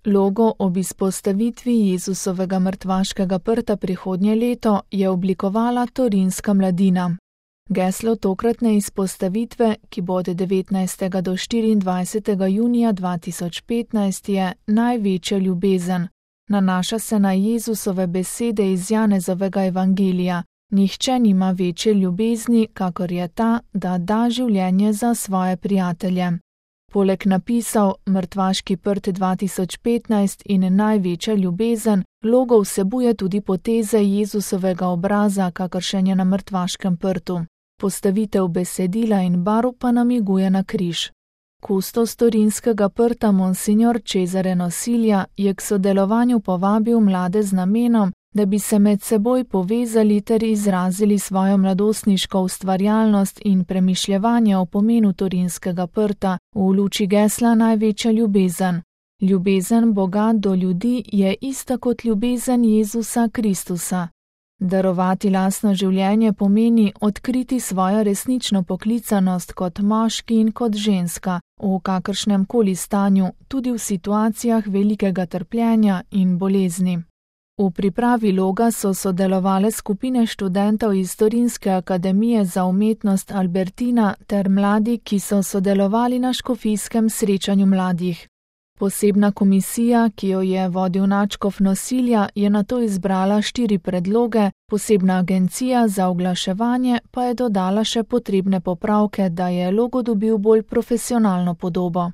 Logo ob izpostavitvi Jezusovega mrtvaškega prta prihodnje leto je oblikovala Torinska mladina. Geslo tokratne izpostavitve, ki bo od 19. do 24. junija 2015, je Največja ljubezen. Nanaša se na Jezusove besede iz Janezovega evangelija: Nihče nima večje ljubezni, kakor je ta, da da življenje za svoje prijatelje. Poleg napisov Mrtvaški prt 2015 in Največja ljubezen, logo vsebuje tudi poteze Jezusovega obraza, kakršen je na mrtvaškem prtu. Postavitev besedila in barv pa namiguje na križ. Kustos Torinskega prta Monsignor Cesare Nosilja je k sodelovanju povabil mlade z namenom, da bi se med seboj povezali ter izrazili svojo mladostniško ustvarjalnost in premišljevanje o pomenu Torinskega prta v luči gesla Največja ljubezen. Ljubezen Boga do ljudi je ista kot ljubezen Jezusa Kristusa. Darovati lastno življenje pomeni odkriti svojo resnično poklicanost kot moški in kot ženska, v kakršnem koli stanju, tudi v situacijah velikega trpljenja in bolezni. V pripravi loga so sodelovale skupine študentov iz Torinske akademije za umetnost Albertina ter mladi, ki so sodelovali na škofijskem srečanju mladih. Posebna komisija, ki jo je vodil nadškof Nosilja, je nato izbrala 4 predloge, posebna agencija za oglaševanje pa je dodala še potrebne popravke, da je logo dobil bolj profesionalno podobo.